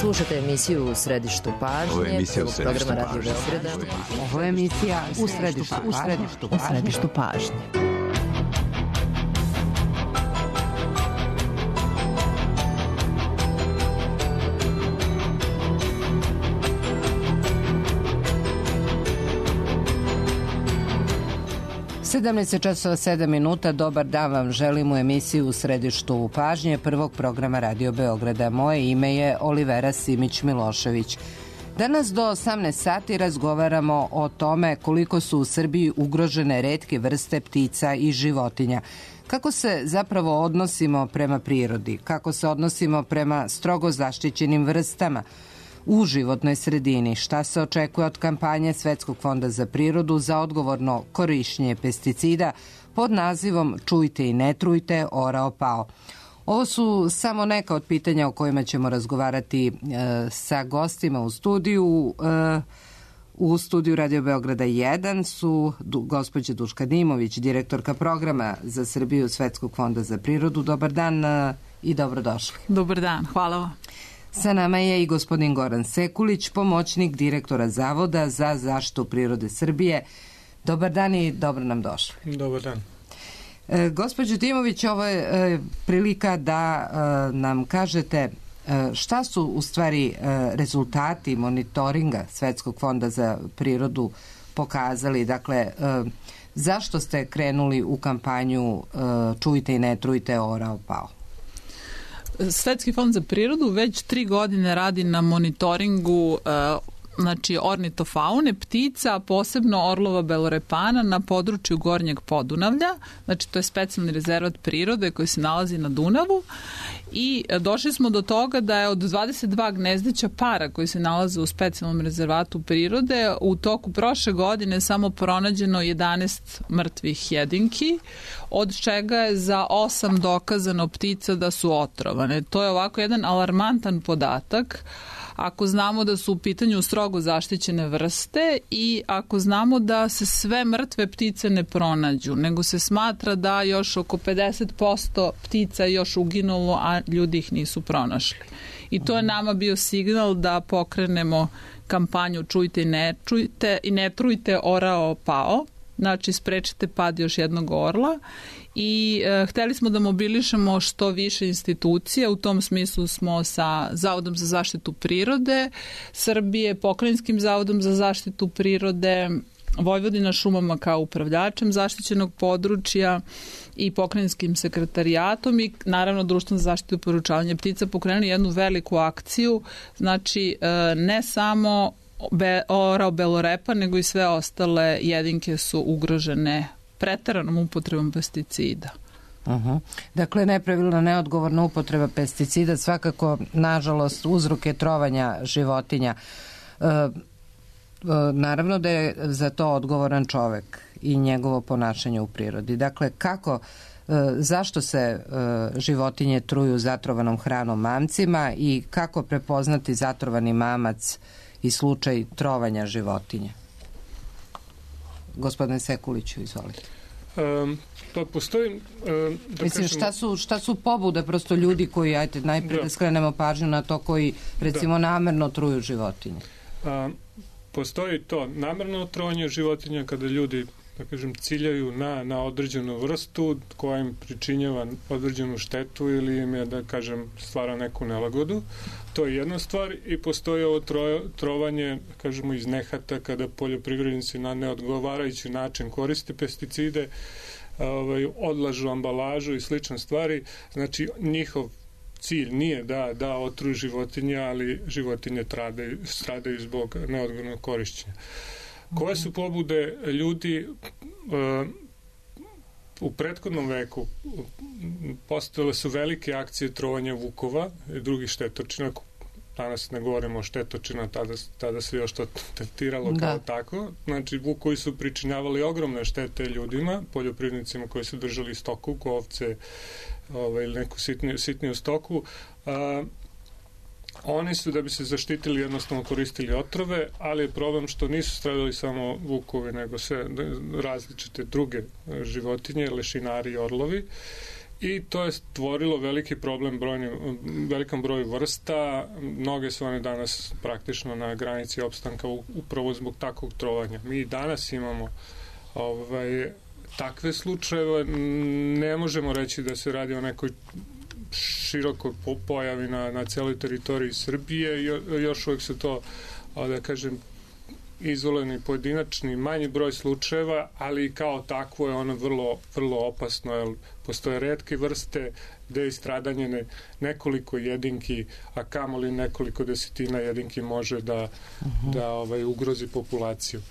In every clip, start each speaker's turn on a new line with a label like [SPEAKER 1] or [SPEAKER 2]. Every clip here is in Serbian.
[SPEAKER 1] Slušate emisiju U središtu pažnje.
[SPEAKER 2] Ovo je emisija U središtu
[SPEAKER 1] programa Radio Beograda.
[SPEAKER 3] Ovo je emisija U središtu pažnje. časova 7 minuta. Dobar dan vam želim u emisiju U središtu pažnje prvog programa Radio Beograda. Moje ime je Olivera Simić-Milošević. Danas do 18 sati razgovaramo o tome koliko su u Srbiji ugrožene retke vrste ptica i životinja. Kako se zapravo odnosimo prema prirodi? Kako se odnosimo prema strogo zaštićenim vrstama u životnoj sredini? Šta se očekuje od kampanje Svetskog fonda za prirodu za odgovorno korišćenje pesticida pod nazivom Čujte i ne trujte, orao pao? Ovo su samo neka od pitanja o kojima ćemo razgovarati sa gostima u studiju. U studiju Radio Beograda 1 su gospođa Duška Dimović, direktorka programa za Srbiju Svetskog fonda za prirodu. Dobar dan i dobrodošli.
[SPEAKER 4] Dobar dan, hvala vam.
[SPEAKER 1] Sa nama je i gospodin Goran Sekulić, pomoćnik direktora Zavoda za zaštitu prirode Srbije. Dobar dan i dobro nam došli.
[SPEAKER 5] Dobar dan.
[SPEAKER 1] Gospođo Dimović, ovo je prilika da nam kažete šta su u stvari rezultati monitoringa Svetskog fonda za prirodu pokazali. Dakle, zašto ste krenuli u kampanju Čujte i ne trujte, orao pao?
[SPEAKER 4] Svetski fond za prirodu već 3 godine radi na monitoringu ornitofaune, ptica, posebno orlova belorepana na području Gornjeg Podunavlja. Znači, to je specijalni rezervat prirode koji se nalazi na Dunavu i došli smo do toga da je od 22 gnezdeća para koji se nalaze u specijalnom rezervatu prirode u toku prošle godine samo pronađeno 11 mrtvih jedinki, od čega je za 8 dokazano ptica da su otrovane. To je ovako jedan alarmantan podatak. Ako znamo da su u pitanju strogo zaštićene vrste i ako znamo da se sve mrtve ptice ne pronađu, nego se smatra da još oko 50% ptica je još uginulo, a ljudi ih nisu pronašli. I to je nama bio signal da pokrenemo kampanju Čujte i ne trujte, orao pao. Znači, sprečite pad još jednog orla. I hteli smo da mobilišemo što više institucija. U tom smislu smo sa Zavodom za zaštitu prirode Srbije, Pokrajinskim zavodom za zaštitu prirode, Vojvodina šumama kao upravljačem zaštićenog područja i Pokrajinskim sekretarijatom i naravno Društvom za zaštitu i poručavanje ptica pokrenuli jednu veliku akciju. Znači, ne samo orao belorepa, nego i sve ostale jedinke su ugrožene preteranom upotrebom pesticida.
[SPEAKER 1] Dakle, nepravilna, neodgovorna upotreba pesticida svakako, nažalost, uzrok je trovanja životinja. Naravno da je za to odgovoran čovek i njegovo ponašanje u prirodi. Dakle, zašto se životinje truju zatrovanom hranom mamcima i kako prepoznati zatrovani mamac i slučaj trovanja životinja? Gospodine Sekuliću, izvolite.
[SPEAKER 5] Pa postoji...
[SPEAKER 1] Mislim, šta su pobude prosto ljudi koji, najprije da skrenemo pažnju na to, koji recimo namerno truju životinje?
[SPEAKER 5] Postoji to namerno trovanje životinja kada ljudi, da kažem, ciljaju na određenu vrstu koja im pričinjava određenu štetu ili im je, da kažem, stvara neku nelagodu. To je jedna stvar i postoji ovo trovanje, kažemo, iz nehata kada poljoprivrednici na neodgovarajući način koriste pesticide, odlažu ambalažu i slične stvari. Znači, njihov cilj nije da otruju životinje, ali životinje stradaju zbog neodgovornog korišćenja. Koje su pobude ljudi? U prethodnom veku postojale su velike akcije trovanja vukova i drugih štetočina. Danas ne govorimo o štetočina, tada se još to tretiralo kao tako. Znači, vukovi su pričinjavali ogromne štete ljudima, poljoprivrednicima koji su držali stoku, ovce ili neku sitniju stoku. Oni su, da bi se zaštitili, jednostavno koristili otrove, ali je problem što nisu stradali samo vukovi, nego sve različite druge životinje, lešinari i orlovi. I to je stvorilo veliki problem velikom broju vrsta. Mnoge su one danas praktično na granici opstanka upravo zbog takvog trovanja. Mi danas imamo takve slučajeve. Ne možemo reći da se radi o nekoj širokoj pojavi na celoj teritoriji Srbije. Još uvijek su to, da kažem, izoleni pojedinačni manji broj slučajeva, ali kao takvo je ono vrlo, vrlo opasno, jer postoje retke vrste gde je stradanje nekoliko jedinki, a kamoli nekoliko desetina jedinki može da ugrozi populaciju.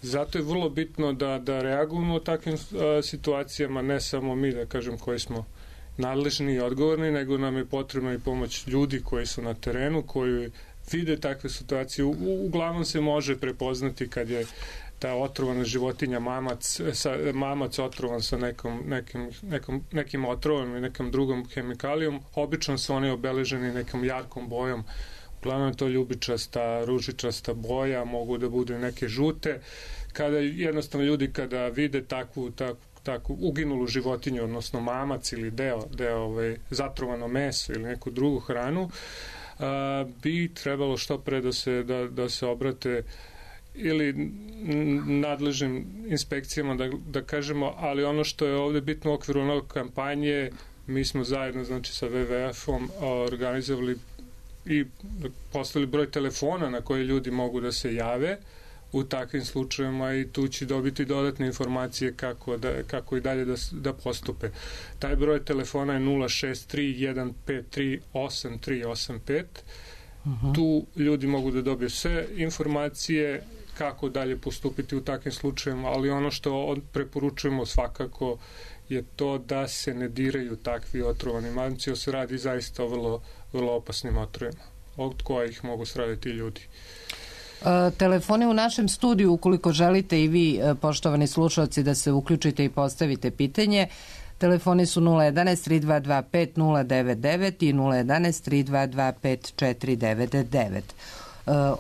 [SPEAKER 5] Zato je vrlo bitno da reagujemo u takvim situacijama, ne samo mi, da kažem, koji smo nadležni i odgovorni, nego nam je potrebna i pomoć ljudi koji su na terenu, koji vide takve situacije. Uglavnom se može prepoznati kad je ta otrovana životinja mamac otrovan sa nekim otrovom i nekom drugom hemikalijom. Obično su oni obeleženi nekom jarkom bojom. Uglavnom je to ljubičasta, ružičasta boja, mogu da budu neke žute. Kada jednostavno ljudi kada vide takvu uginulu životinju, odnosno mamac ili deo zatrovano meso ili neku drugu hranu, bi trebalo što pre da se obrate ili nadležnim inspekcijama, da kažemo, ali ono što je ovde bitno u okviru nove kampanje, mi smo zajedno, znači, sa WWF-om organizovali i postavili broj telefona na koje ljudi mogu da se jave u takvim slučajevima i tu će dobiti dodatne informacije kako i dalje da postupe. Taj broj telefona je 063-153-8385. Tu ljudi mogu da dobiju sve informacije kako dalje postupiti u takvim slučajevima, ali ono što preporučujemo svakako je to da se ne diraju takvi otrovani mamci, jer se radi zaista o vrlo, vrlo opasnim otrovima, od kojih mogu stradati ljudi.
[SPEAKER 3] Telefoni u našem studiju, ukoliko želite i vi, poštovani slušalci, da se uključite i postavite pitanje, telefoni su 011-3225-099 i 011-3225-499.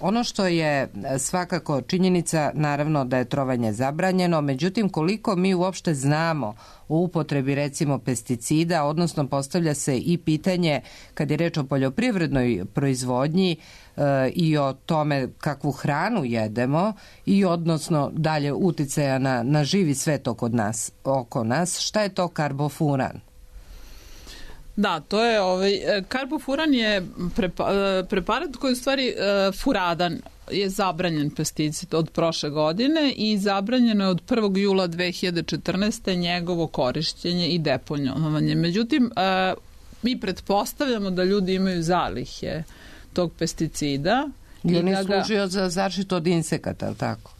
[SPEAKER 3] Ono što je svakako činjenica, naravno da je trovanje zabranjeno, međutim koliko mi uopšte znamo o upotrebi recimo pesticida, odnosno postavlja se i pitanje kad je reč o poljoprivrednoj proizvodnji i o tome kakvu hranu jedemo i odnosno dalje uticaja na živi svet oko nas, šta je to karbofuran?
[SPEAKER 4] Da, to je karbofuran je preparat koji u stvari furadan, je zabranjen pesticid od prošle godine i zabranjeno je od 1. jula 2014. njegovo korišćenje i deponovanje. Međutim, mi pretpostavljamo da ljudi imaju zalihe tog pesticida.
[SPEAKER 3] Je li služio za zaštitu od insekata, ali tako?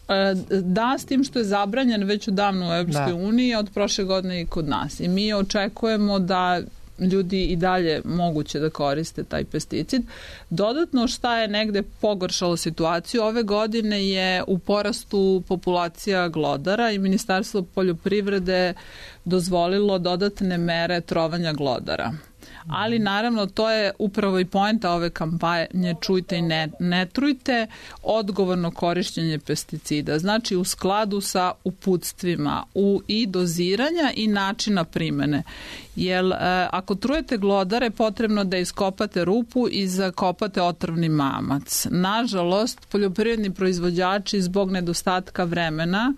[SPEAKER 4] Da, s tim što je zabranjen već odavno u Evropskoj uniji, od prošle godine i kod nas. I mi očekujemo da ljudi i dalje moguće da koriste taj pesticid. Dodatno šta je negde pogoršalo situaciju, ove godine je u porastu populacija glodara i Ministarstvo poljoprivrede dozvolilo dodatne mere trovanja glodara. Ali naravno to je upravo i poenta ove kampanje čujte i ne trujte, odgovorno korišćenje pesticida, znači u skladu sa uputstvima i doziranja i načina primene. Jer ako trujete glodare, potrebno da iskopate rupu i zakopate otrovni mamac. Nažalost, poljoprivredni proizvođači zbog nedostatka vremena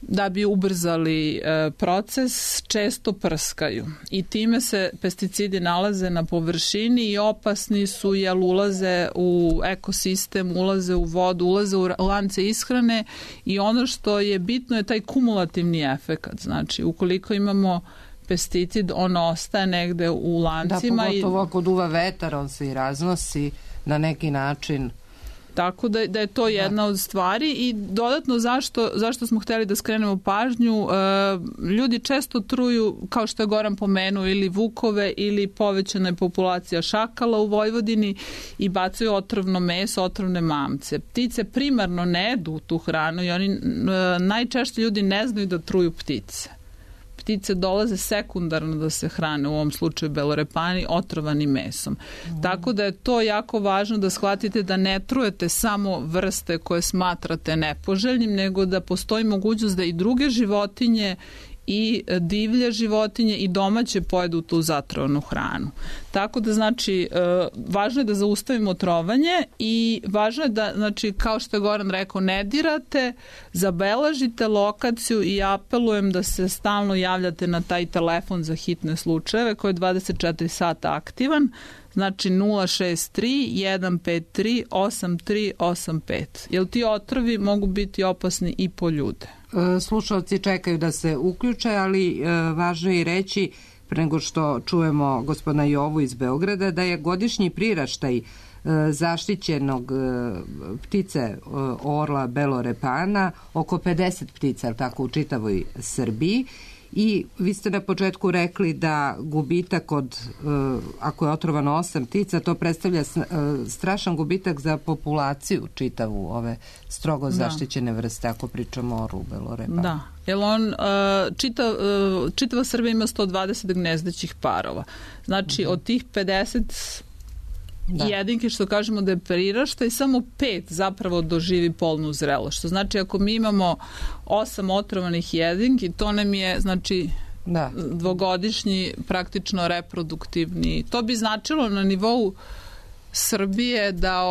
[SPEAKER 4] da bi ubrzali proces, često prskaju i time se pesticidi nalaze na površini i opasni su jer ulaze u ekosistem, ulaze u vodu, ulaze u lance ishrane i ono što je bitno je taj kumulativni efekat. Znači, ukoliko imamo pesticid, on ostaje negde u lancima.
[SPEAKER 3] Da, pogotovo ako duva vetar, on se i raznosi na neki način.
[SPEAKER 4] Tako da je to jedna od stvari i dodatno zašto smo hteli da skrenemo pažnju, ljudi često truju, kao što je Goran pomenuo, ili vukove ili povećana je populacija šakala u Vojvodini i bacaju otrovno meso, otrovne mamce. Ptice primarno ne jedu tu hranu i oni najčešće ljudi ne znaju da truju ptice. Ptice dolaze sekundarno da se hrane, u ovom slučaju belorepani, otrovani mesom. Tako da je to jako važno da shvatite da ne trujete samo vrste koje smatrate nepoželjnim, nego da postoji mogućnost da i druge životinje i divlje životinje i domaće pojedu tu zatrovanu hranu. Tako da, znači, važno je da zaustavimo trovanje i važno je da, znači, kao što je Goran rekao, ne dirate, zabeležite lokaciju i apelujem da se stalno javljate na taj telefon za hitne slučajeve koji je 24 sata aktivan, znači 063 153 8385. Jer ti otrovi mogu biti opasni i po ljude.
[SPEAKER 1] Slušalci čekaju da se uključe, ali važno je i reći, pre nego što čujemo gospodina Jovu iz Beograda, da je godišnji priraštaj zaštićenog ptice orla belorepana oko 50 ptica, tako, u čitavoj Srbiji. I vi ste na početku rekli da gubitak ako je otrovano 8 ptica, to predstavlja strašan gubitak za populaciju čitavu ove strogo zaštićene vrste, ako pričamo o orlu belorepana.
[SPEAKER 4] Da, jer on, čitava Srbija ima 120 gnezdećih parova. Znači, od tih 50 jedinke, što kažemo da je priraštaj, samo 5 zapravo doživi polnu zrelost. Što znači, ako mi imamo 8 otrovanih jedinki, to nam je, znači, dvogodišnji praktično reproduktivni. To bi značilo na nivou Srbije da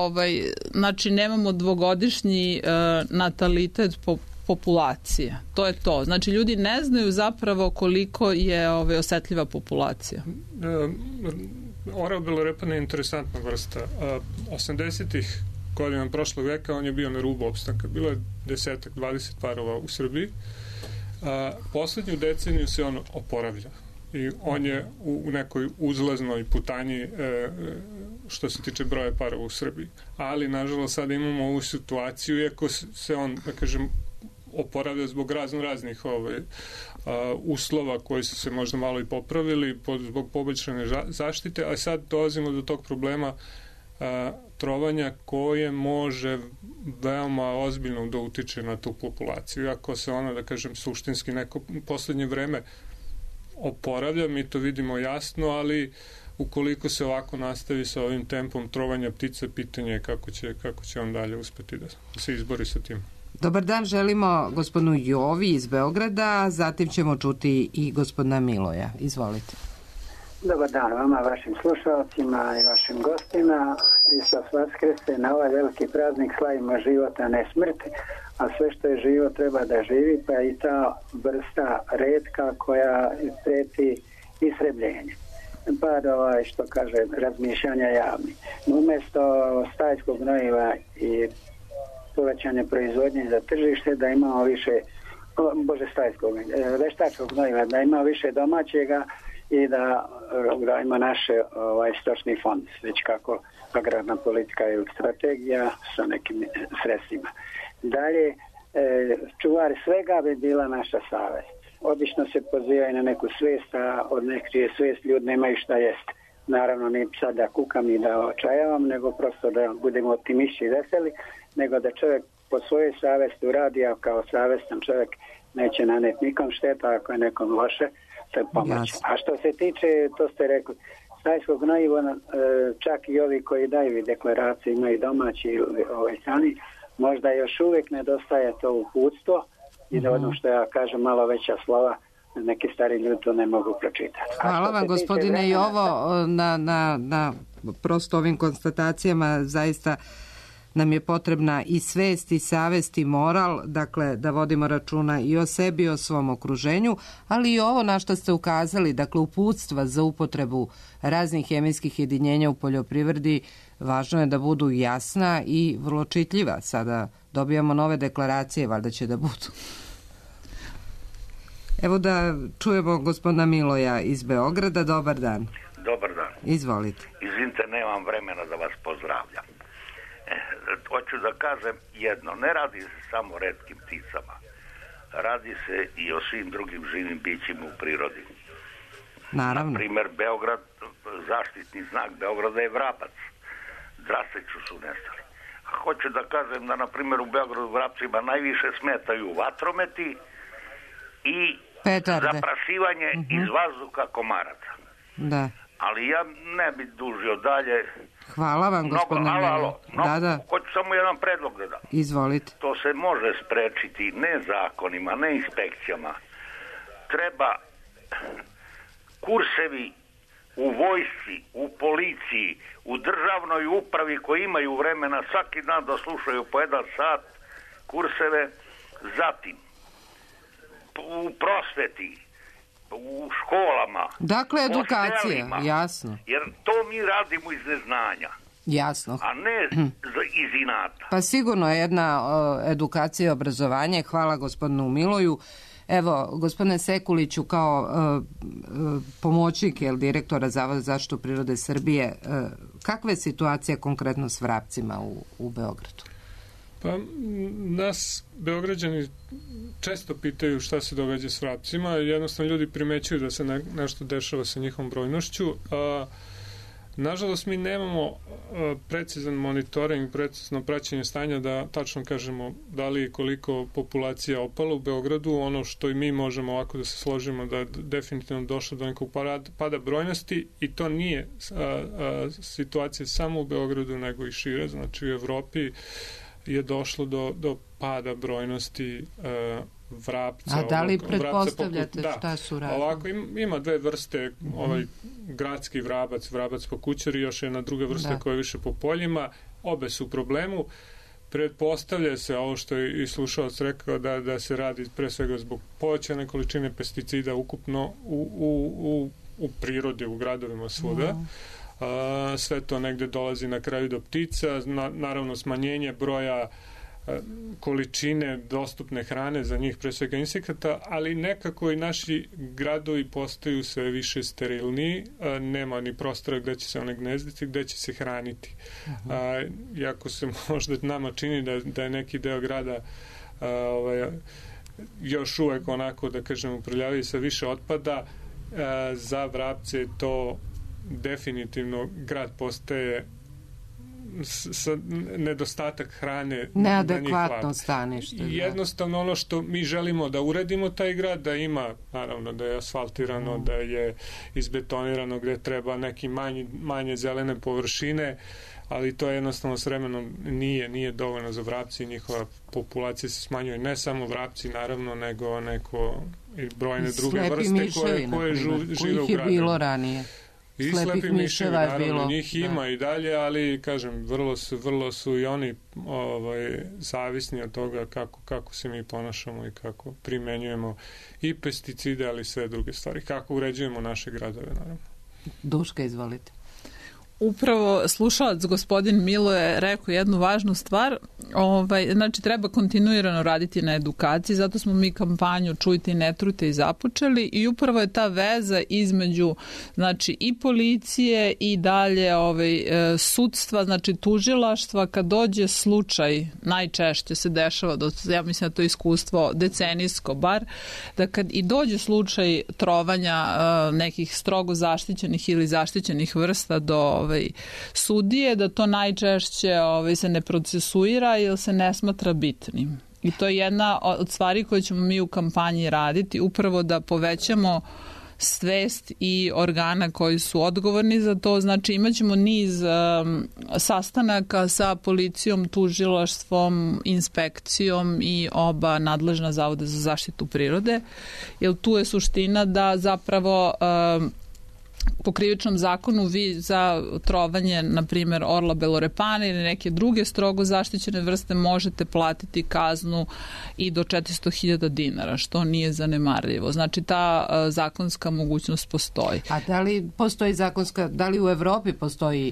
[SPEAKER 4] znači, nemamo dvogodišnji natalitet populacije. To je to. Znači, ljudi ne znaju zapravo koliko je osetljiva populacija.
[SPEAKER 5] Orao belorepana je interesantna vrsta. 80-ih godina prošlog veka on je bio na rubu opstanka. Bilo je 10-20 parova u Srbiji. Poslednju deceniju se on oporavlja. I on je u nekoj uzlaznoj putanji što se tiče broja parova u Srbiji. Ali, nažalost, sada imamo ovu situaciju, iako se on, da kažem, oporavlja zbog raznih uslova koji su se možda malo i popravili zbog poboljšane zaštite, a sad dolazimo do tog problema trovanja koje može veoma ozbiljno da utiče na tu populaciju. Iako se ona, da kažem, suštinski neko poslednje vreme oporavlja, mi to vidimo jasno, ali ukoliko se ovako nastavi sa ovim tempom trovanja ptica, pitanje je kako će on dalje uspeti da se izbori sa tim.
[SPEAKER 1] Dobar dan, želimo gospodinu Jovi iz Beograda, zatim ćemo čuti i gospodina Miloja. Izvolite.
[SPEAKER 2] Dobar dan vama, vašim slušalcima i vašim gostima. Hristos vaskrese, na ovaj veliki praznik slavimo život, a ne smrt, a sve što je živo treba da živi, pa i ta vrsta retka koja preti istrebljenje. Par što kaže razmišljanja javni. Umesto stajskog gnojiva i povećanje proizvodnje za tržište, da imamo više veštačkog gnojiva, da ima više domaćega i da ima naše stočni fond, već kako agrarna politika ili strategija sa nekim sredstvima. Dalje, čuvar svega bi bila naša savest. Obično se pozivaju na neku svijest, a od neke svijest ljudi nemaju šta jest. Naravno, ne sad da kukam i da očajavam, nego prosto da budemo optimisti i veseli, nego da čovjek po svojoj savesti uradi, a kao savestan čovjek neće naneti nikom šteta, ako je nekom loše, to je pomoć. A što se tiče, to ste rekli, stajskog gnojiva, čak i ovi koji daju deklaracije, imaju domaći ili strani, možda još uvijek nedostaje to uputstvo i da ono što ja kažem malo veća slova, neki stari ljudi to ne mogu pročitati.
[SPEAKER 1] Hvala vam, gospodine Jovo, na prosto ovim konstatacijama. Zaista nam je potrebna i svest i savest i moral, dakle da vodimo računa i o sebi i o svom okruženju, ali i ovo na što ste ukazali, dakle uputstva za upotrebu raznih hemijskih jedinjenja u poljoprivredi, važno je da budu jasna i vrlo čitljiva. Sada dobijamo nove deklaracije, valjda će da budu. Evo da čujemo gospodina Miloja iz Beograda. Dobar dan.
[SPEAKER 6] Dobar dan.
[SPEAKER 1] Izvolite.
[SPEAKER 6] Izvinite, nemam vremena da vas pozdravljam. Hoću da kažem jedno, ne radi se samo o retkim pticama, radi se i o svim drugim živim bićima u prirodi.
[SPEAKER 1] Naravno.
[SPEAKER 6] Naprimer, Beograd, zaštitni znak Beograda je vrabac. Draseću su nestali. Hoću da kažem da, na primjer, u Beogradu vrapcima najviše smetaju vatrometi i
[SPEAKER 1] petarde,
[SPEAKER 6] zaprašivanje iz vazduha komaraca.
[SPEAKER 1] Da.
[SPEAKER 6] Ali ja ne bi dužio dalje.
[SPEAKER 1] Hvala vam, gospodine Milo. Da.
[SPEAKER 6] Hoću samo jedan predlog da dam.
[SPEAKER 1] Izvolite.
[SPEAKER 6] To se može sprečiti ne zakonima, ne inspekcijama. treba kursevi u vojsci, u policiji, u državnoj upravi koji imaju vremena svaki dan da slušaju po 1 sat kurseve, zatim u prosveti, u školama.
[SPEAKER 1] Dakle, edukacija, jasno.
[SPEAKER 6] Jer to mi radimo iz neznanja.
[SPEAKER 1] Jasno.
[SPEAKER 6] A ne iz inata.
[SPEAKER 1] Pa sigurno je jedna edukacija i obrazovanje. Hvala gospodinu Miloju. Evo, gospodine Sekuliću, kao pomoćnik direktora Zavoda za zaštitu prirode Srbije, kakva je situacija konkretno s vrapcima u Beogradu?
[SPEAKER 5] Pa nas Beograđani često pitaju šta se događa s vrapcima. Jednostavno ljudi primećuju da se nešto dešava sa njihovom brojnošću. Nažalost, mi nemamo precizan monitoring, precizno praćenje stanja da tačno kažemo da li koliko populacija opala u Beogradu. Ono što i mi možemo ovako da se složimo da je definitivno došlo do nekog pada brojnosti i to nije situacija samo u Beogradu nego i šire, znači u Evropi je došlo do pada brojnosti vrapca.
[SPEAKER 1] A da li pretpostavljate šta su radili?
[SPEAKER 5] Ovako, ima dve vrste, gradski vrabac, vrabac po kućari, još jedna druga vrsta koja je više po poljima. Obe su u problemu. Pretpostavlja se, ovo što je i slušalac rekao, da se radi pre svega zbog povećane količine pesticida ukupno u prirodi, u gradovima svuda. Sve to negde dolazi na kraju do ptica, naravno smanjenje broja količine dostupne hrane za njih, pre svega insekata, ali nekako i naši gradovi postaju sve više sterilniji, nema ni prostora gde će se one gnezditi, gde će se hraniti. Iako se možda nama čini da je neki deo grada još uvek onako, da kažem, uprljaviji sa više otpada, za vrapce to definitivno grad postaje nedostatak hrane,
[SPEAKER 1] neadekvatno stanište.
[SPEAKER 5] Jednostavno ono što mi želimo da uredimo taj grad, da ima, naravno da je asfaltirano, da je izbetonirano gde treba neki manje zelene površine, ali to jednostavno s vremenom nije dovoljno za vrapci i njihova populacija se smanjuje. Ne samo vrapci, naravno, nego i brojne druge vrste koje žive u gradu.
[SPEAKER 1] Je bilo ranije.
[SPEAKER 5] I slepih miševa, naravno, njih ima i dalje, ali, kažem, vrlo su i oni zavisni od toga kako se mi ponašamo i kako primenjujemo i pesticide, ali i sve druge stvari. Kako uređujemo naše gradove, naravno.
[SPEAKER 1] Duška, izvolite.
[SPEAKER 4] Upravo slušalac gospodin Milo je rekao jednu važnu stvar, znači treba kontinuirano raditi na edukaciji, zato smo mi kampanju Čujte i ne trujte i započeli i upravo je ta veza između znači i policije i dalje sudstva, znači tužilaštva, kad dođe slučaj, najčešće se dešava, ja mislim da to je iskustvo decenijsko bar, da kad i dođe slučaj trovanja nekih strogo zaštićenih ili zaštićenih vrsta do sudije, da to najčešće se ne procesuira ili se ne smatra bitnim. I to je jedna od stvari koje ćemo mi u kampanji raditi, upravo da povećamo svest i organa koji su odgovorni za to. Znači imaćemo niz sastanaka sa policijom, tužilaštvom, inspekcijom i oba nadležna zavoda za zaštitu prirode, jer tu je suština da zapravo po krivičnom zakonu vi za trovanje, na primjer, orla belorepana ili neke druge strogo zaštićene vrste možete platiti kaznu i do 400.000 dinara, što nije zanemarljivo. Znači, ta zakonska mogućnost postoji.
[SPEAKER 1] A da li u Evropi postoji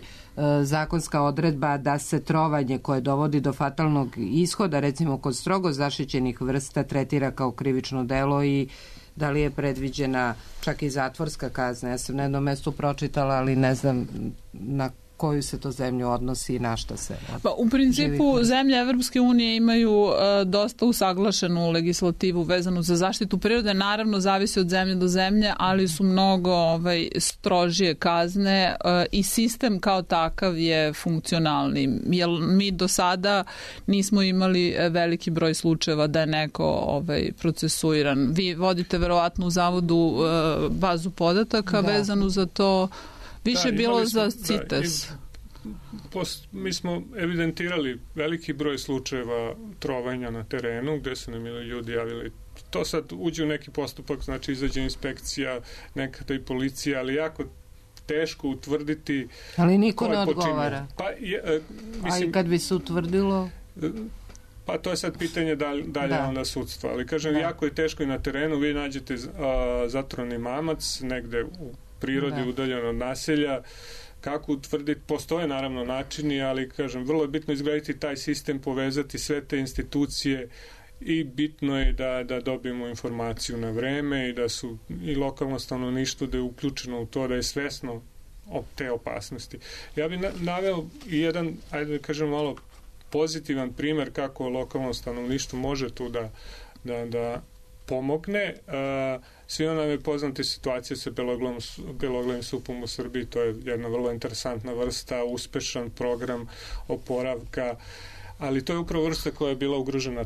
[SPEAKER 1] zakonska odredba da se trovanje koje dovodi do fatalnog ishoda, recimo kod strogo zaštićenih vrsta, tretira kao krivično delo i da li je predviđena čak i zatvorska kazna? Ja sam na jednom mestu pročitala, ali ne znam na koju se to zemlju odnosi i na šta se...
[SPEAKER 4] U principu zemlje Evropske unije imaju dosta usaglašenu legislativu vezanu za zaštitu prirode. Naravno, zavisi od zemlje do zemlje, ali su mnogo strožije kazne i sistem kao takav je funkcionalni. Jer mi do sada nismo imali veliki broj slučajeva da je neko procesuiran. Vi vodite verovatno u zavodu bazu podataka vezanu za to. Više je bilo za CITES.
[SPEAKER 5] Mi smo evidentirali veliki broj slučajeva trovanja na terenu, gde su nam ljudi javili to sad uđe u neki postupak, znači izađe inspekcija, nekada i policija, ali jako teško utvrditi.
[SPEAKER 1] Ali niko ne odgovara.
[SPEAKER 5] Pa,
[SPEAKER 1] mislim, a i kad bi se utvrdilo?
[SPEAKER 5] Pa to je sad pitanje da li je onda sudstvo. Ali kažem, jako je teško i na terenu. Vi nađete zatrovani mamac negde u prirodi, udaljen od naselja. Kako utvrditi? Postoje naravno načini, ali kažem, vrlo je bitno izgraditi taj sistem, povezati sve te institucije i bitno je da dobijemo informaciju na vreme i da su i lokalno stanovništvo da je uključeno u to, da je svesno te opasnosti. Ja bih naveo jedan, ajde da kažem malo pozitivan primer kako lokalno stanovništvo može tu da pomogne. Svima nam je poznata situacija sa beloglavim supom u Srbiji, to je jedna vrlo interesantna vrsta, uspešan program oporavka, ali to je upravo vrsta koja je bila ugrožena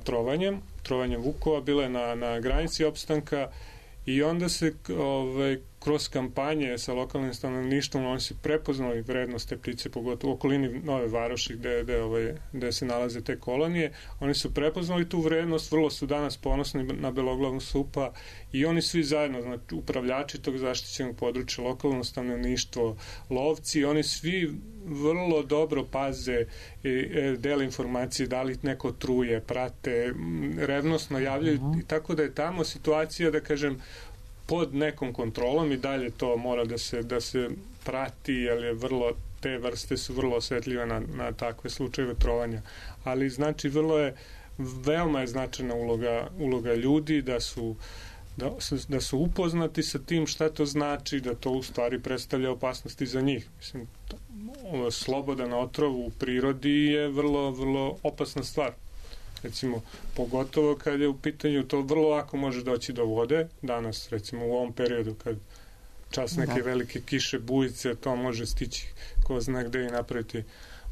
[SPEAKER 5] trovanjem vukova, bila je na granici opstanka i onda se kroz kampanje sa lokalnim stanovništvom oni su prepoznali vrednost te ptice, pogotovo u okolini Nove Varoši gde se nalaze te kolonije. Oni su prepoznali tu vrednost, vrlo su danas ponosni na beloglavnu supa i oni svi zajedno, znači upravljači tog zaštićenog područja, lokalno stanovništvo, lovci, oni svi vrlo dobro paze i dele informacije, da li neko truje, prate, revnosno javljaju, tako da je tamo situacija, da kažem, pod nekom kontrolom i dalje to mora da se prati, jer je te vrste su vrlo osetljive na takve slučajeve trovanja. Ali znači veoma je značajna uloga ljudi da su upoznati sa tim šta to znači, da to u stvari predstavlja opasnosti za njih. Mislim, slobodan otrov u prirodi je vrlo, vrlo opasna stvar. Recimo, pogotovo kad je u pitanju, to vrlo lako može doći do vode. Danas, recimo, u ovom periodu, kad čas neke velike kiše, bujice, to može stići ko zna gde i napraviti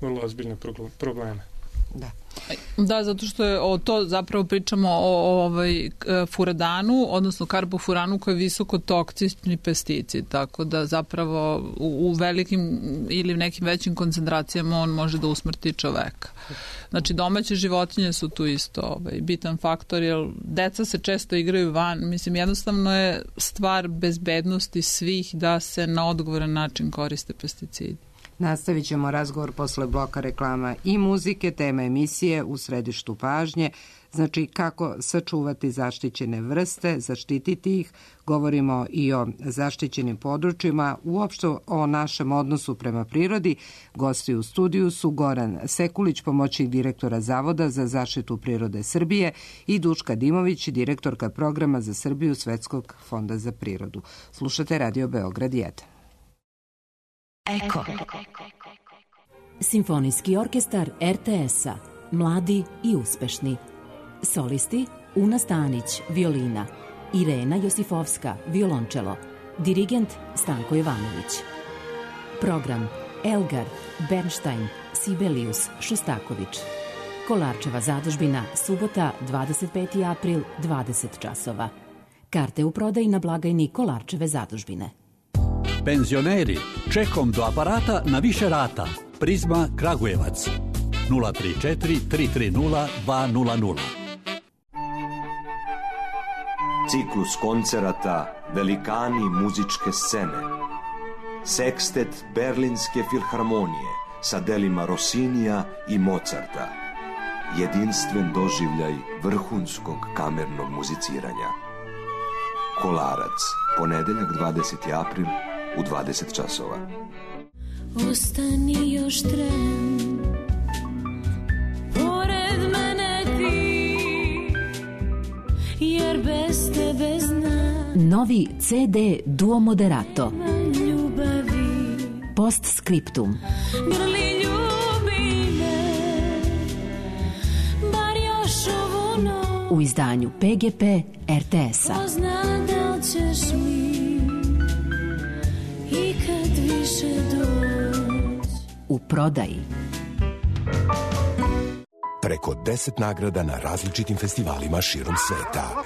[SPEAKER 5] vrlo ozbiljne probleme.
[SPEAKER 4] Da, zato što je to zapravo pričamo o furadanu, odnosno karbofuranu koji je visoko toksični pesticid, tako da zapravo u velikim ili nekim većim koncentracijama on može da usmrti čoveka. Znači domaće životinje su tu isto bitan faktor, jer deca se često igraju van, mislim jednostavno je stvar bezbednosti svih da se na odgovoran način koriste pesticidi.
[SPEAKER 1] Nastavit ćemo razgovor posle bloka reklama i muzike, tema emisije U središtu pažnje, znači kako sačuvati zaštićene vrste, zaštititi ih, govorimo i o zaštićenim područjima, uopšte o našem odnosu prema prirodi. Gosti u studiju su Goran Sekulić, pomoćnik direktora Zavoda za zaštitu prirode Srbije i Duška Dimović, direktorka programa za Srbiju Svetskog fonda za prirodu. Slušate Radio Beograd 1.
[SPEAKER 7] Eko. Simfonijski orkestar RTS-a. Mladi i uspešni. Solisti Una Stanić, violina. Irena Josifovska, violončelo. Dirigent Stanko Jovanović. Program Elgar, Bernstein, Sibelius, Šostaković. Kolarčeva zadužbina, subota, 25. april, 20 časova. Karte u prodaji na blagajni Kolarčeve zadužbine.
[SPEAKER 8] Penzioneri, čekom do aparata na više rata. Prizma Kragujevac 034 330 200.
[SPEAKER 9] Ciklus koncerata Velikani muzičke scene. Sekstet Berlinske filharmonije sa delima Rossinija i Mozarta. Jedinstven doživljaj vrhunskog kamernog muziciranja. Kolarac, ponedeljak 20. april u 20 časova.
[SPEAKER 10] Ostani još tren, pored mene ti, jer bez tebe znam.
[SPEAKER 7] Novi CD Duo Moderato.
[SPEAKER 10] Ljubavi.
[SPEAKER 7] Postscriptum.
[SPEAKER 10] Grli ljubi me, bar još ovu noć.
[SPEAKER 7] U izdanju PGP RTS-a.
[SPEAKER 10] Pozna da ćeš mi i kad više doć.
[SPEAKER 7] U prodaji.
[SPEAKER 11] Preko 10 nagrada na različitim festivalima širom sveta.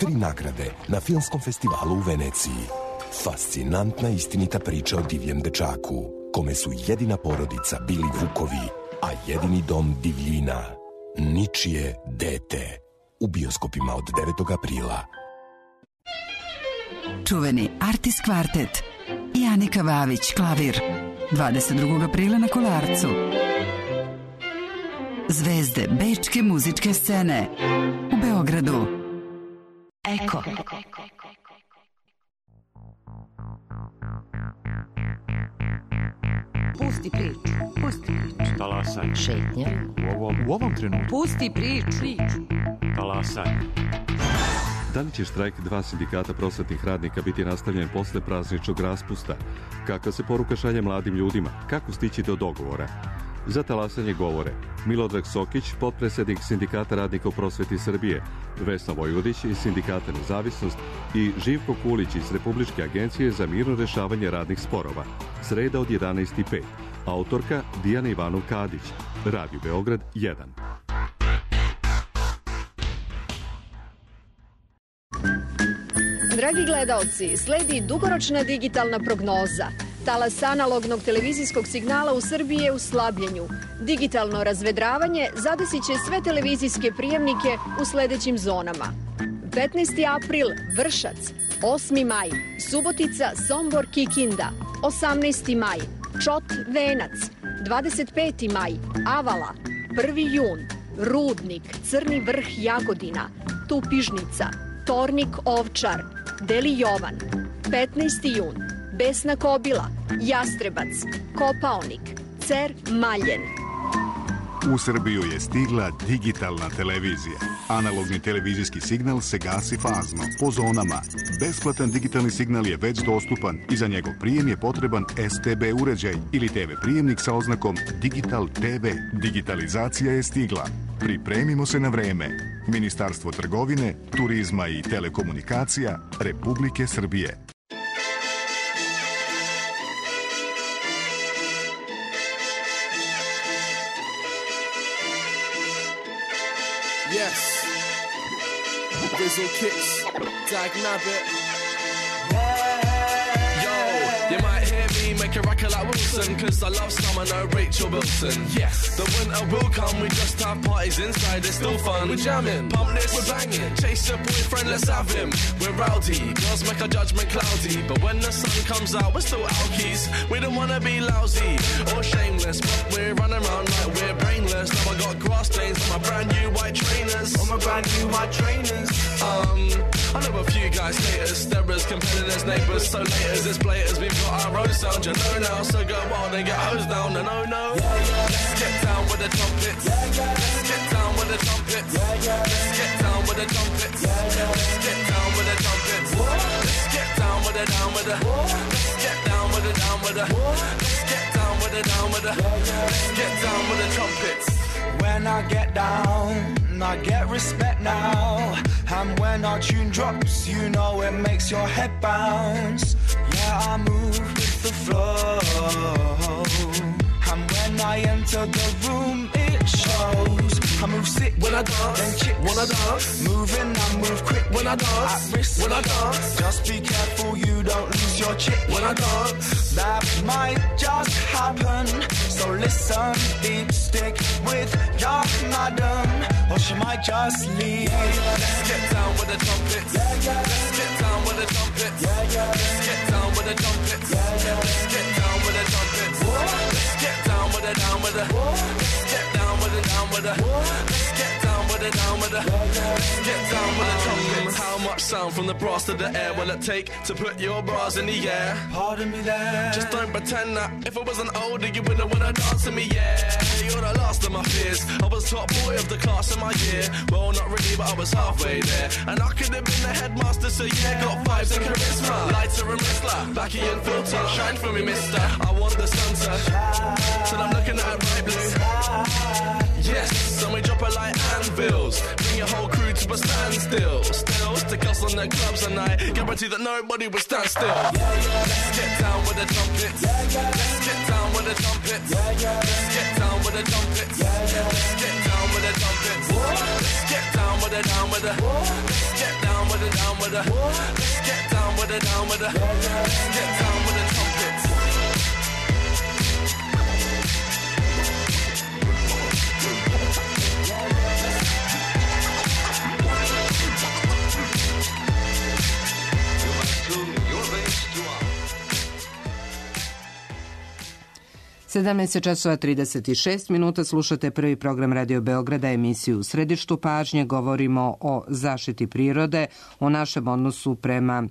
[SPEAKER 11] I 3 nagrade na Filmskom festivalu u Veneciji. Fascinantna istinita priča o divljem dečaku, kome su jedina porodica bili vukovi, a jedini dom divljina, ničije dete. u bioskopima od 9. aprila.
[SPEAKER 12] Čuveni Artis Kvartet i Anika Vavić, klavir. 22. aprila na Kolarcu. Zvezde bečke muzičke scene u Beogradu. Eko.
[SPEAKER 13] Pusti priču. Pusti priču.
[SPEAKER 14] Talasaj.
[SPEAKER 13] Šetnja.
[SPEAKER 14] U ovom trenutku.
[SPEAKER 13] Pusti priču.
[SPEAKER 14] Talasaj.
[SPEAKER 15] Da li će štrajk 2 sindikata prosvetnih radnika biti nastavljen posle prazničnog raspusta? Kakva se poruka šalje mladim ljudima? Kako stići do dogovora? Za talasanje govore Milodrag Sokić, potpredsjednik Sindikata radnika u prosveti Srbije, Vesna Vojvodić iz Sindikata Nezavisnost i Živko Kulić iz Republičke agencije za mirno rešavanje radnih sporova. Sreda od 11:05. Autorka Dijana Ivanov-Kadić. Radio Beograd 1.
[SPEAKER 16] Dragi gledaoci, sledi dugoročna digitalna prognoza. Talas analognog televizijskog signala u Srbiji je u slabljenju. Digitalno razvedravanje zadesit će sve televizijske prijemnike u sledećim zonama. 15. april Vršac, 8. maj Subotica, Sombor, Kikinda, 18. maj Čot, Venac, 25. maj Avala, 1. jun Rudnik, Crni vrh, Jagodina, Tupižnica, Tornik, Ovčar, Deli Jovan, 15. jun Besna Kobila, Jastrebac, Kopaonik, Cer, Maljen.
[SPEAKER 17] U Srbiju je stigla digitalna televizija. Analogni televizijski signal se gasi fazno, po zonama. Besplatan digitalni signal je već dostupan i za njegov prijem je potreban STB uređaj ili TV prijemnik sa oznakom Digital TV. Digitalizacija je stigla. Pripremimo se na vreme. Ministarstvo trgovine, turizma i telekomunikacija Republike Srbije.
[SPEAKER 18] Yes, Bizzle Kicks, Dag Nabbit. Yo, you might hear me make a record like Wilson, cause I love Summer, no Rachel Wilson. Yes, the winter will come, we just have parties inside, it's still fun. We're jamming, pump this, we're banging, chase your boyfriend, let's have him. We're rowdy, girls make our judgment cloudy, but when the sun comes out, we're still alkies. We don't wanna be lousy or shameless, but we're running around like we're brainless. Now I got grass stains on my brand new white trainers. On my brand new white trainers. I know a few guys haters, sterrers, competitors, neighbours, so laters, it's blaters, we've got our own sound, you know now, so go wild and get hosed down, and oh no. Let's get down with the trumpets. Let's get down with the trumpets. Let's get down with the trumpets. Let's get down with the trumpets. Let's get down with the down with the. Let's get down with the down with the. Let's get down with the down with the. Let's get down with the trumpets.
[SPEAKER 19] When I get down, I get respect now. And when our tune drops, you know it makes your head bounce. Yeah, I move with the flow. And when I enter the room, it shows. I move sick when I dance, then chicks when I dance. Moving, I move quick when I dance. At risk when I dance. Just be careful you don't lose your chick when I dance. That might just happen. So listen, deep stick with your madam, or she might just leave.
[SPEAKER 18] Let's get down with the trumpets. Let's get down with the trumpets. Let's get down with the trumpets. Let's get down with the trumpets. Let's get down with the down with the. Let's get down with the down with the. Let's get down with the down with the. Let's get down with the trumpets. How much sound from the brass to the air will it take to put your bras in the air?
[SPEAKER 19] Pardon me there.
[SPEAKER 18] Just don't pretend that if I wasn't older you wouldn't wanna dance to me, yeah. You're the last of my fears. I was top boy of the class in my year. Well, not really, but I was halfway there. And I could have been the headmaster, so yeah, got vibes and charisma. Lighter and wristler, backy and filter. Shine for me, mister. I want the sun to shine. Till I'm looking at bright blue. Yes, so we drop it like anvils. Bring your whole crew to a standstill. Still, stick us on the clubs at night. Guarantee that nobody will stand still. Let's get down with the trumpets. Let's get down with the trumpets. Let's get down with the trumpets. Let's get down with the trumpets. Let's get down with the down with the. Let's get down with the down with the. Let's get down with the down with the. Let's get down with the trumpets.
[SPEAKER 1] 17:36 slušate prvi program Radio Beograda, emisiju U središtu pažnje. Govorimo o zaštiti prirode, o našem odnosu prema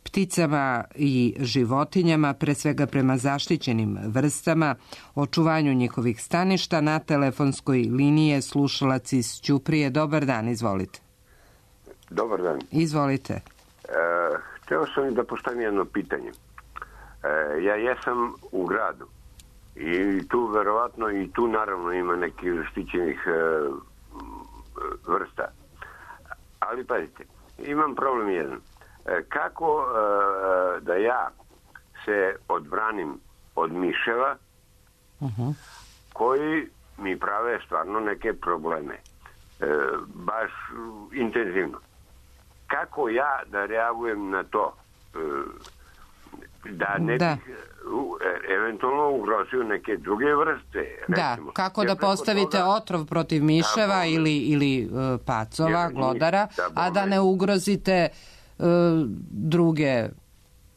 [SPEAKER 1] pticama i životinjama, pre svega prema zaštićenim vrstama, očuvanju njihovih staništa. Na telefonskoj liniji je slušalac iz Ćuprije. Dobar dan, izvolite.
[SPEAKER 20] Dobar dan.
[SPEAKER 1] Izvolite.
[SPEAKER 20] Hteo sam da postavim jedno pitanje. Ja jesam u gradu i tu verovatno i tu naravno ima nekih zaštićenih vrsta. Ali pazite, imam problem jedan. Kako da ja se odbranim od miševa koji mi prave stvarno neke probleme. Baš intenzivno. Kako ja da reagujem na to? Da ne bih eventualno ugrozio neke druge vrste.
[SPEAKER 1] Recimo. Kako da postavite otrov protiv miševa ili pacova, glodara, a da ne ugrozite druge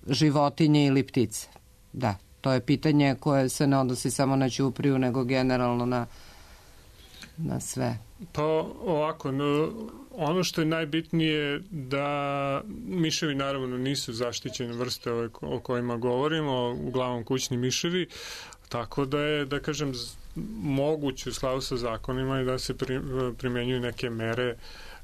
[SPEAKER 1] životinje ili ptice. Da, to je pitanje koje se ne odnosi samo na Ćupriju, nego generalno na sve.
[SPEAKER 5] Pa ovako, ono što je najbitnije da miševi naravno nisu zaštićene vrste o kojima govorimo, uglavnom kućni miševi, tako da je, da kažem, moguće u skladu sa zakonima i da se primenjuju neke mere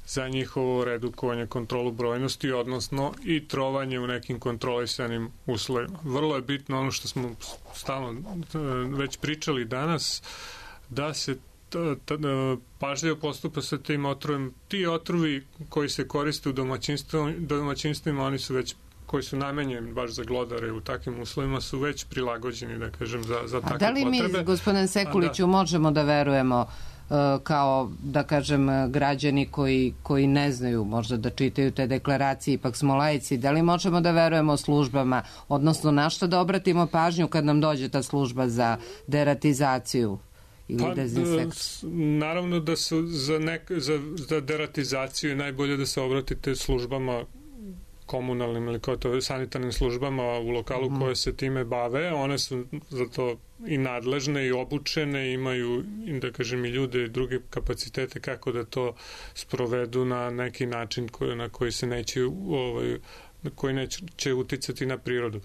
[SPEAKER 5] za njihovo redukovanje, kontrolu brojnosti, odnosno i trovanje u nekim kontrolisanim uslovima. Vrlo je bitno ono što smo stalno već pričali danas, da se pažljivo postupa sa tim otrovima. Ti otrovi koji se koriste u domaćinstvima, oni su već, koji su namenjeni baš za glodare u takvim uslovima, su već prilagođeni, da kažem, za takve potrebe.
[SPEAKER 1] A da li mi, gospodine Sekuliću, možemo da verujemo kao, da kažem, građani koji ne znaju možda da čitaju te deklaracije, ipak smo laici, da li možemo da verujemo službama, odnosno na šta da obratimo pažnju kad nam dođe ta služba za deratizaciju ili dezinsekciju?
[SPEAKER 5] Naravno da su za deratizaciju je najbolje da se obratite službama komunalnim ili sanitarnim službama u lokalu koje se time bave. One su za to i nadležne i obučene, imaju, da kažem, i ljude i druge kapacitete kako da to sprovedu na neki način na koji se neće koji neće uticati na prirodu.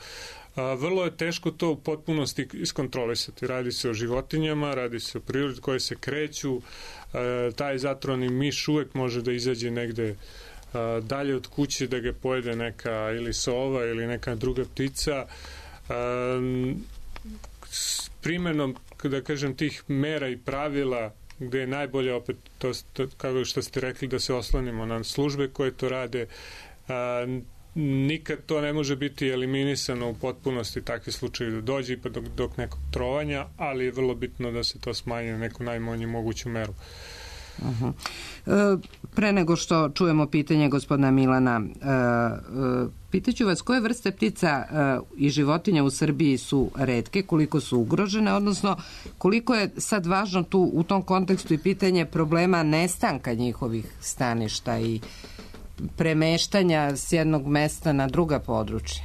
[SPEAKER 5] Vrlo je teško to u potpunosti iskontrolisati. Radi se o životinjama, radi se o prirodi koje se kreću. Taj zatrovani miš uvek može da izađe negde dalje od kuće, da ga pojede neka ili sova ili neka druga ptica. S primenom, da kažem, tih mera i pravila, gde je najbolje opet to kako što ste rekli, da se oslonimo na službe koje to rade, nikad to ne može biti eliminisano u potpunosti, takvi slučajevi da dođe pa dok nekog trovanja, ali je vrlo bitno da se to smanji na neku najmanju moguću meru.
[SPEAKER 1] Pre nego što čujemo pitanje gospodina Milana, pitaću vas koje vrste ptica i životinja u Srbiji su retke, koliko su ugrožene, odnosno koliko je sad važno tu u tom kontekstu i pitanje problema nestanka njihovih staništa i premeštanja s jednog mesta na druga područja?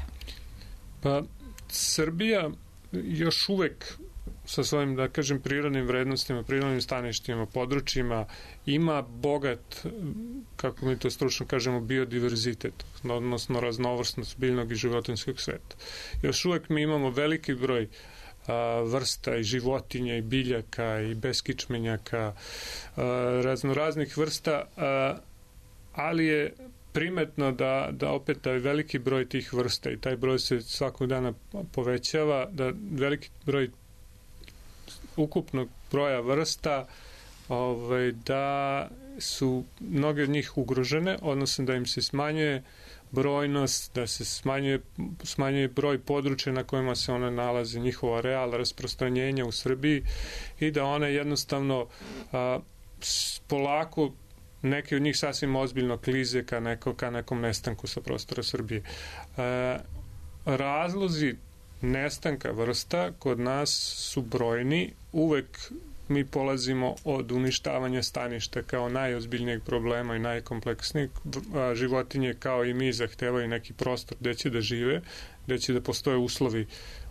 [SPEAKER 5] Pa Srbija još uvek sa svojim, da kažem, prirodnim vrednostima, prirodnim staništima, područjima, ima bogat, kako mi to stručno kažemo, biodiverzitet, odnosno raznovrsnost biljnog i životinjskog sveta. Još uvek mi imamo veliki broj vrsta i životinja i biljaka i beskičmenjaka, raznoraznih vrsta, ali je primetno da opet taj veliki broj tih vrsta i taj broj se svakog dana povećava, da veliki broj ukupnog broja vrsta da su mnoge od njih ugrožene, odnosno da im se smanjuje brojnost, da se smanjuje broj područja na kojima se one nalaze, njihova realna rasprostranjenja u Srbiji i da one jednostavno polako neke od njih sasvim ozbiljno klize ka nekom nestanku sa prostora Srbije. Razlozi nestanka vrsta kod nas su brojni. Uvek mi polazimo od uništavanja staništa kao najozbiljnijeg problema i najkompleksnijeg. Životinje kao i mi zahtevaju neki prostor gde će da žive, gde će da postoje uslovi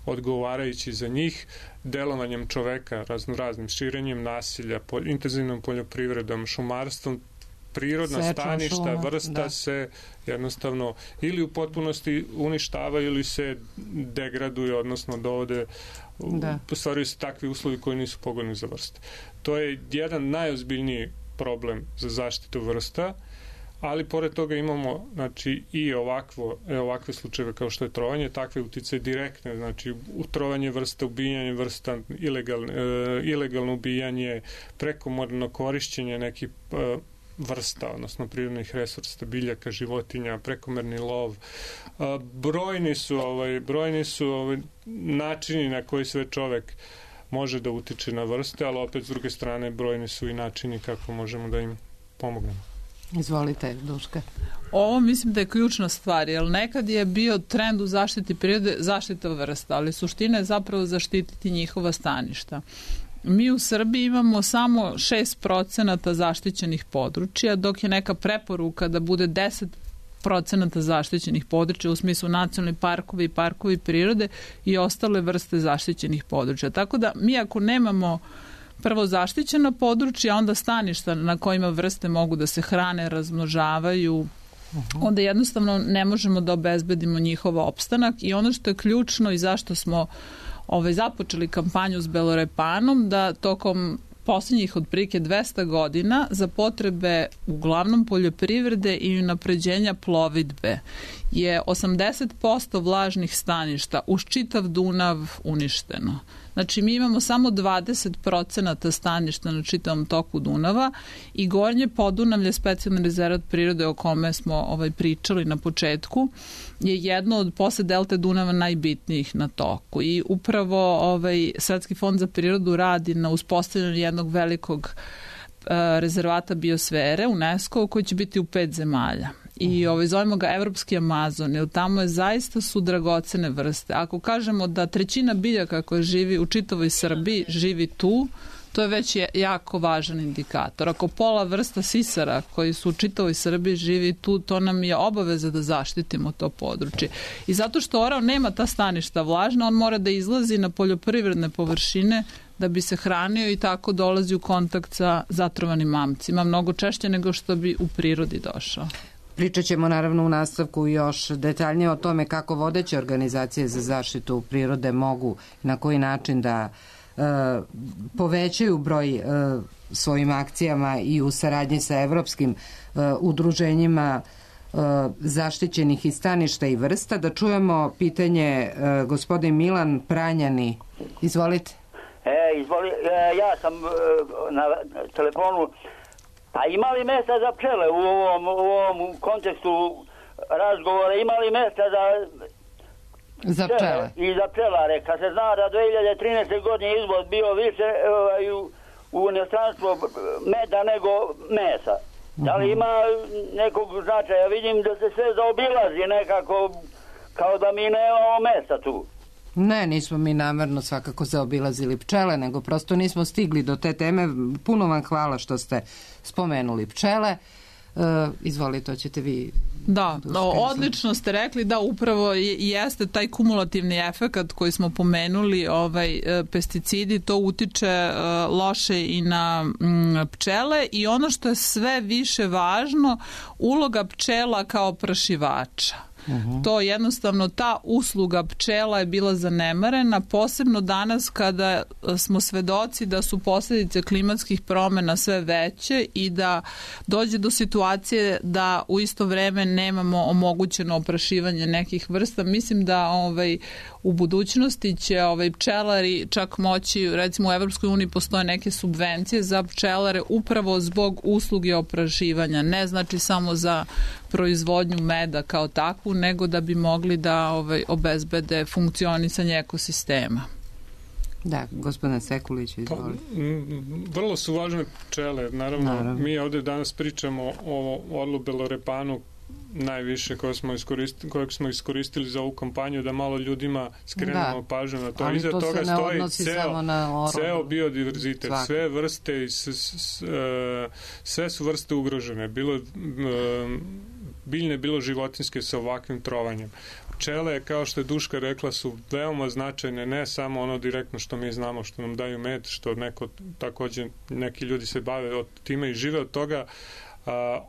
[SPEAKER 5] odgovarajući za njih, delovanjem čoveka, raznim širenjem nasilja, intenzivnom poljoprivredom, šumarstvom, prirodna staništa, vrsta se jednostavno ili u potpunosti uništavaju ili se degraduju, odnosno dovode, stvaraju se takvi uslovi koji nisu pogodni za vrste. To je jedan najozbiljniji problem za zaštitu vrsta, ali pored toga imamo znači, i ovakve slučajeve kao što je trovanje, takve utice direktne, znači utrovanje vrsta, ubijanje vrsta, ilegalno ubijanje, prekomorno korišćenje nekih vrsta, odnosno prirodnih resursa, biljaka, životinja, prekomerni lov. Brojni su načini na koji sve čovek može da utiče na vrste, ali opet s druge strane brojni su i načini kako možemo da im pomognemo.
[SPEAKER 1] Izvolite, Duška.
[SPEAKER 4] Ovo mislim da je ključna stvar, jer nekad je bio trend u zaštiti prirode zaštita vrsta, ali suština je zapravo zaštititi njihova staništa. Mi u Srbiji imamo samo 6% zaštićenih područja, dok je neka preporuka da bude 10% zaštićenih područja, u smislu nacionalni parkovi i parkovi prirode i ostale vrste zaštićenih područja. Tako da mi ako nemamo prvo zaštićeno područje, a onda staništa na kojima vrste mogu da se hrane, razmnožavaju, onda jednostavno ne možemo da obezbedimo njihov opstanak. I ono što je ključno i zašto smo započeli kampanju s belorepanom, da tokom posljednjih otprilike 200 godina za potrebe uglavnom poljoprivrede i unapređenja plovidbe je 80% vlažnih staništa uz čitav Dunav uništeno. Znači mi imamo samo 20% staništa na čitavom toku Dunava i Gornje Podunavlje, specijalni rezervat prirode o kome smo pričali na početku, je jedno od posle delte Dunava najbitnijih na toku. I upravo Svetski fond za prirodu radi na uspostavljanju jednog velikog rezervata biosfere UNESCO koji će biti u 5 zemalja. I zovemo ga Evropski Amazon, jer tamo zaista su dragocene vrste. Ako kažemo da 1/3 biljaka koja živi u čitavoj Srbiji živi tu, to je već jako važan indikator. Ako pola vrsta sisara koji su u čitavoj Srbiji živi tu, to nam je obaveza da zaštitimo to područje. I zato što orao nema ta staništa vlažna, on mora da izlazi na poljoprivredne površine da bi se hranio i tako dolazi u kontakt sa zatrovanim mamcima, mnogo češće nego što bi u prirodi došao.
[SPEAKER 1] Pričat ćemo naravno u nastavku još detaljnije o tome kako vodeće organizacije za zaštitu prirode mogu na koji način da povećaju broj svojim akcijama i u saradnji sa evropskim udruženjima zaštićenih i staništa i vrsta. Da čujemo pitanje gospodin Milan Pranjani. Izvolite.
[SPEAKER 21] Ja sam na telefonu. A ima li mjesta za pčele u ovom kontekstu razgovora? Ima li mjesta
[SPEAKER 1] za pčele?
[SPEAKER 21] I za pčelare. Kad se zna da 2013. godine izvoz bio više u inostranstvo meda nego mesa. Da li ima nekog značaja? Vidim da se sve zaobilazi nekako kao da mi nemamo mjesta tu.
[SPEAKER 1] Ne, nismo mi namerno svakako zaobilazili pčele, nego prosto nismo stigli do te teme. Puno vam hvala što ste spomenuli pčele. Izvolite, to ćete vi...
[SPEAKER 4] Da, odlično ste rekli, da upravo jeste taj kumulativni efekat koji smo pomenuli, pesticidi, to utiče loše i na pčele i ono što je sve više važno, uloga pčela kao oprašivača. To jednostavno, ta usluga pčela je bila zanemarena, posebno danas kada smo svedoci da su posljedice klimatskih promjena sve veće i da dođe do situacije da u isto vreme nemamo omogućeno oprašivanje nekih vrsta. Mislim da u budućnosti će pčelari čak moći, recimo u Evropskoj uniji postoje neke subvencije za pčelare upravo zbog usluge oprašivanja, ne znači samo za proizvodnju meda kao takvu, nego da bi mogli da obezbede funkcionisanje ekosistema.
[SPEAKER 1] Da, gospodine Sekulić, izvolite.
[SPEAKER 5] Vrlo su važne pčele. Naravno, mi ovdje danas pričamo o orlu belorepanu najviše kojeg smo iskoristili za ovu kampanju, da malo ljudima skrenemo pažnju na to. Iza toga stoji ceo biodiverzitet, sve vrste, sve su vrste ugrožene, bilo biljne, bilo životinske sa ovakvim trovanjem. pčele, kao što je Duška rekla, su veoma značajne, ne samo ono direktno što mi znamo, što nam daju med, što takođe neki ljudi se bave od time i žive od toga.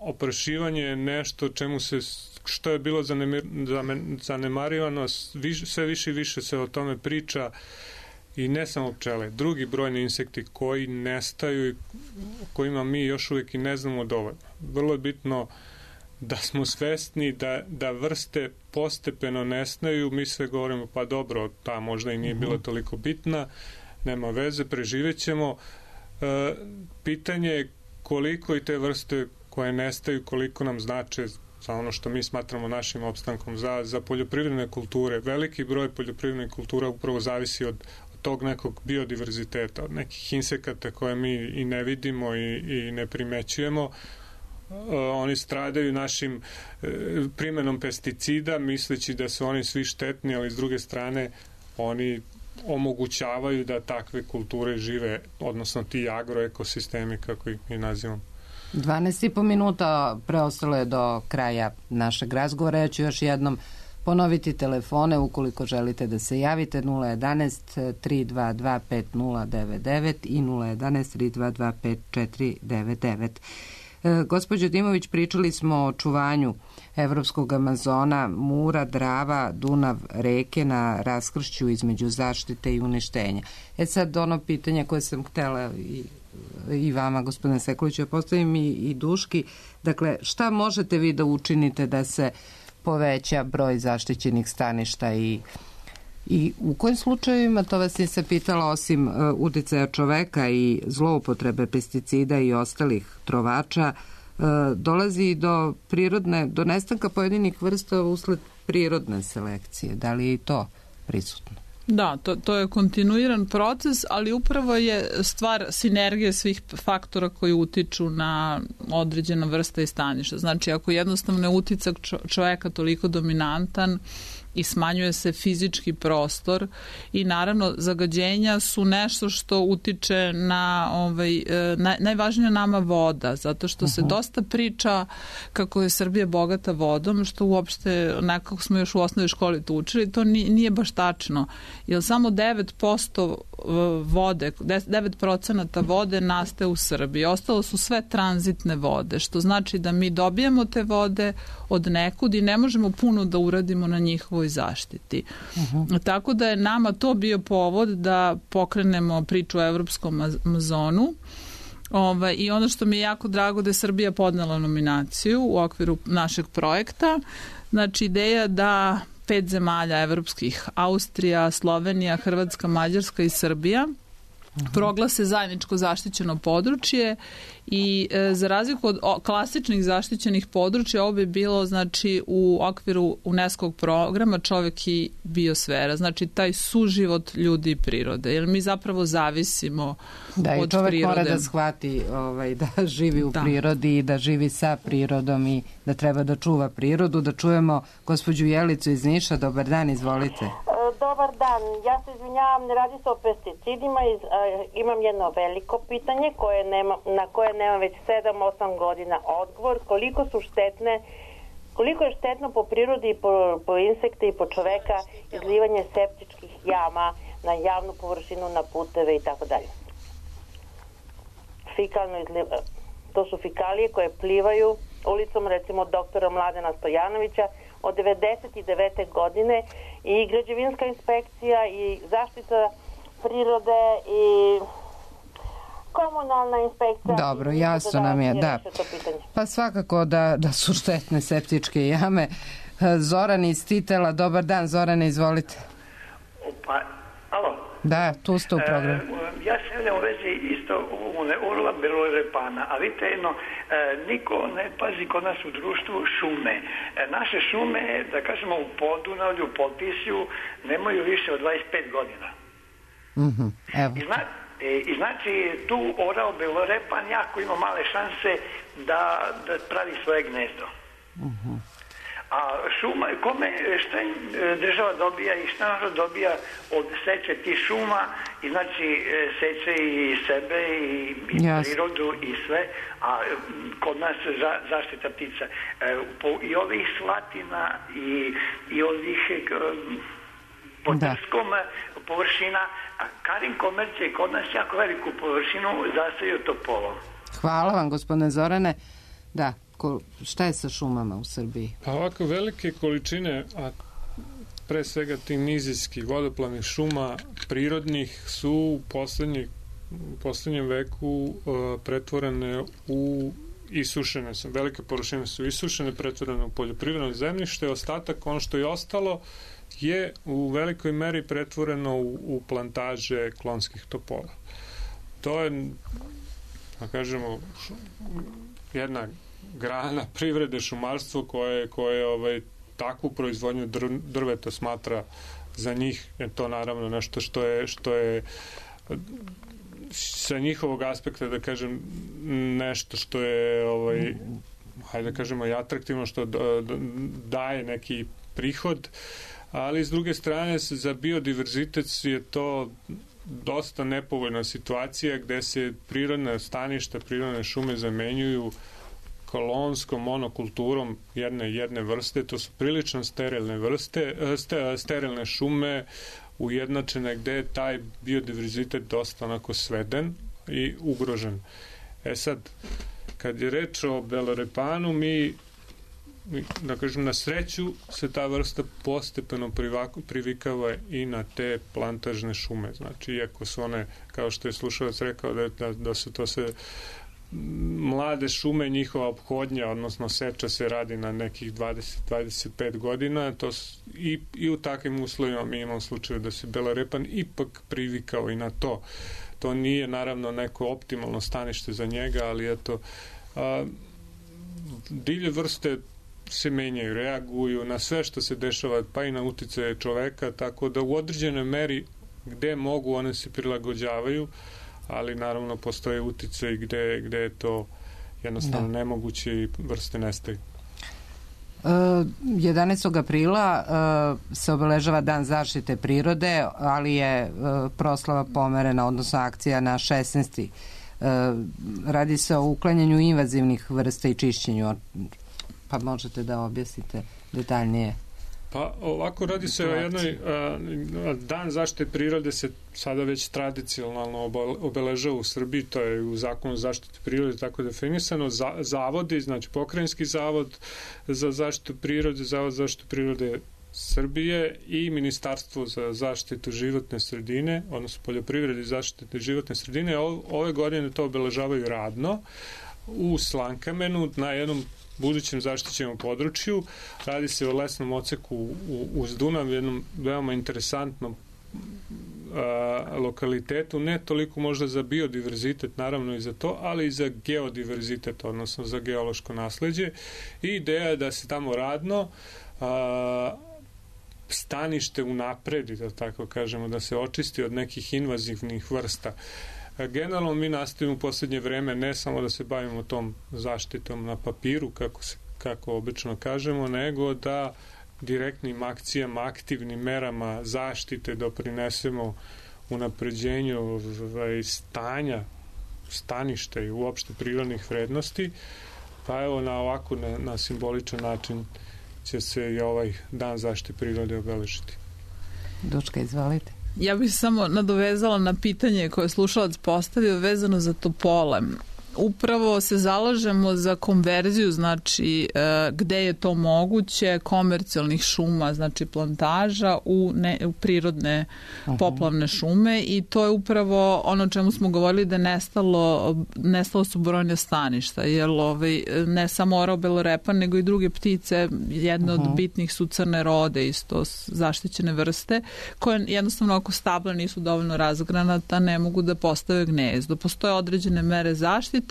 [SPEAKER 5] Oprašivanje je nešto što je bilo zanemarivano, sve više i više se o tome priča, i ne samo pčele, drugi brojni insekti koji nestaju i kojima mi još uvijek i ne znamo dovoljno. Vrlo je bitno da smo svesni da vrste postepeno nestaju. Mi sve govorimo, pa dobro, ta možda i nije bila toliko bitna, nema veze, preživećemo. Pitanje je koliko i te vrste koje nestaju, koliko nam znače za ono što mi smatramo našim opstankom, za poljoprivredne kulture. Veliki broj poljoprivrednih kultura upravo zavisi od tog nekog biodiverziteta, od nekih insekata koje mi i ne vidimo i ne primećujemo. Oni stradaju našim primenom pesticida, misleći da su oni svi štetni, ali s druge strane oni omogućavaju da takve kulture žive, odnosno ti agroekosistemi, kako ih mi nazivamo.
[SPEAKER 1] 12,5 minuta preostalo je do kraja našeg razgovora. Ja ću još jednom ponoviti telefone ukoliko želite da se javite: 011 322 5099 i 011 322 5499. Gospođo Dimović, pričali smo o čuvanju evropskog Amazona, Mura, Drava, Dunav, reke na raskršću između zaštite i uništenja. Sad ono pitanje koje sam htela i vama, gospodine Sekuliću, postavim i Duški. Dakle, šta možete vi da učinite da se poveća broj zaštićenih staništa i u kojim slučajevima, to vas nisam pitala, osim uticaja čoveka i zloupotrebe pesticida i ostalih trovača, dolazi do nestanka pojedinih vrsta usled prirodne selekcije? Da li je i to prisutno?
[SPEAKER 4] Da, to je kontinuiran proces, ali upravo je stvar sinergije svih faktora koji utiču na određena vrsta i staništa. Znači, ako jednostavno je uticak čoveka toliko dominantan i smanjuje se fizički prostor i naravno zagađenja su nešto što utiče na najvažnija nama voda, zato što se dosta priča kako je Srbija bogata vodom, što uopšte nekako smo još u osnovnoj školi to učili, to nije baš tačno, jer samo 9% vode, 9% vode nastaje u Srbiji, ostalo su sve tranzitne vode, što znači da mi dobijamo te vode od nekud i ne možemo puno da uradimo na njihovoj zaštiti. Tako da je nama to bio povod da pokrenemo priču o Evropskom Amazonu. I ono što mi je jako drago da je Srbija podnela nominaciju u okviru našeg projekta. Znači, ideja da 5 zemalja evropskih, Austrija, Slovenija, Hrvatska, Mađarska i Srbija, proglase zajedničko zaštićeno područje i za razliku od klasičnih zaštićenih područja, ovo bi bilo znači u okviru UNESCO-og programa Čovek i biosfera, znači taj suživot ljudi i prirode, jer mi zapravo zavisimo od prirode. Da, i čovek mora da shvati da živi u prirodi i da živi sa prirodom i da treba da čuva prirodu. Da čujemo gospođu Jelicu iz Niša. Dobar dan, izvolite.
[SPEAKER 3] Dobar dan, ja se izvinjavam, ne radi se o pesticidima, imam jedno veliko pitanje na koje nemam već 7-8 godina odgovor, koliko je štetno po prirodi i po insekte i po čoveka izlivanje septičkih jama na javnu površinu, na puteve i tako dalje. To su fikalije koje plivaju ulicom, recimo doktora Mladena Stojanovića, od 99. godine, i građevinska inspekcija i zaštita prirode i komunalna inspekcija.
[SPEAKER 1] Dobro, jasno nam je, da. Pa svakako da su štetne septičke jame. Zoran iz Titela, dobar dan, Zorane, izvolite.
[SPEAKER 22] Pa, alo?
[SPEAKER 1] Da, tu ste u programu.
[SPEAKER 22] Ja se javljam u vezi isto urla belorepana, a vidite jedno, niko ne pazi kod nas u društvu šume. Naše šume, da kažemo u Podunavlju, Potisju, nemaju više od 25 godina.
[SPEAKER 1] Evo.
[SPEAKER 22] I znači tu orao belorepan jako ima male šanse da pravi svoje gnezdo. A šuma, šta država dobija i šta narod dobija od seče tih šuma i znači seče i sebe i prirodu i sve, a kod nas zaštita ptica. I ovih slatina i ovih po trskom površina, a Karin komercija kod nas jako veliku površinu zasaju topolom.
[SPEAKER 1] Hvala vam, gospodine Zorane. Da, šta je sa šumama u Srbiji?
[SPEAKER 5] Pa ovako velike količine, a pre svega tih nizijskih vodoplavnih šuma prirodnih su u poslednjem veku pretvorene u isušene, velike površine su isušene, pretvorene u poljoprivredno zemljište, ostatak, ono što je ostalo, je u velikoj meri pretvoreno u plantaže klonskih topola. To je, da kažemo, jedna grana privrede, šumarstvo koje takvu proizvodnju drveta smatra za njih, je to naravno nešto što je sa njihovog aspekta, da kažem, nešto što je hajde da kažemo i atraktivno, što daje neki prihod, ali s druge strane za biodiverzitet je to dosta nepovoljna situacija gde se prirodne staništa, prirodne šume zamenjuju kolonskom monokulturom jedne vrste. To su prilično sterilne vrste, sterilne šume ujednačene gde je taj biodiverzitet dosta onako sveden i ugrožen. Sad, kad je reč o belorepanu, mi da kažem, na sreću se ta vrsta postepeno privikava i na te plantažne šume. Znači, iako su one, kao što je slušalac rekao, da su to sve mlade šume, njihova ophodnja, odnosno seča se radi na nekih 20-25 godina, to i u takvim uslovima mi imamo slučaju da se belorepan ipak privikao i na to. To nije naravno neko optimalno stanište za njega, ali eto, divlje vrste se menjaju, reaguju na sve što se dešava, pa i na uticaje čoveka, tako da u određenoj meri gde mogu one se prilagođavaju, ali naravno postoje uticaje gde je to jednostavno nemoguće i vrste nestaju.
[SPEAKER 1] 11. aprila se obeležava Dan zaštite prirode, ali je proslava pomerena, odnosno akcija na 16. Radi se o uklanjanju invazivnih vrsta i čišćenju. Pa možete da objasnite detaljnije.
[SPEAKER 5] Pa ovako radi se o jednoj Dan zaštite prirode se sada već tradicionalno obeležava u Srbiji, to je u zakonu zaštite prirode tako definisano. Zavodi, znači Pokrajinski zavod za zaštitu prirode, Zavod za zaštitu prirode Srbije i Ministarstvo za zaštitu životne sredine, odnosno poljoprivrede i zaštite životne sredine, ove godine to obeležavaju radno u Slankamenu na jednom budućem zaštićenom području. Radi se o lesnom oceku uz Dunav, jednom veoma interesantnom lokalitetu, ne toliko možda za biodiverzitet, naravno i za to, ali i za geodiverzitet, odnosno za geološko nasleđe. I ideja je da se tamo radno stanište unapredi, da tako kažemo, da se očisti od nekih invazivnih vrsta. Generalno mi nastavimo u poslednje vreme ne samo da se bavimo tom zaštitom na papiru, kako obično kažemo, nego da direktnim akcijama, aktivnim merama zaštite doprinesemo unapređenju stanja, staništa i uopšte prirodnih vrednosti. Pa evo na simboličan način će se i ovaj Dan zaštite prirode obeležiti.
[SPEAKER 1] Duška, izvalite.
[SPEAKER 4] Ja bih se samo nadovezala na pitanje koje je slušalac postavio vezano za topole. Upravo se zalažemo za konverziju, znači gde je to moguće, komercijalnih šuma, znači plantaža u prirodne poplavne šume, i to je upravo ono o čemu smo govorili, da nestalo su brojne staništa, jer ne samo orao belorepan, nego i druge ptice, jedne od bitnih su crne rode, isto zaštićene vrste, koje jednostavno ako stabla nisu dovoljno razgranata, ne mogu da postave gnezdo. Postoje određene mere zaštite,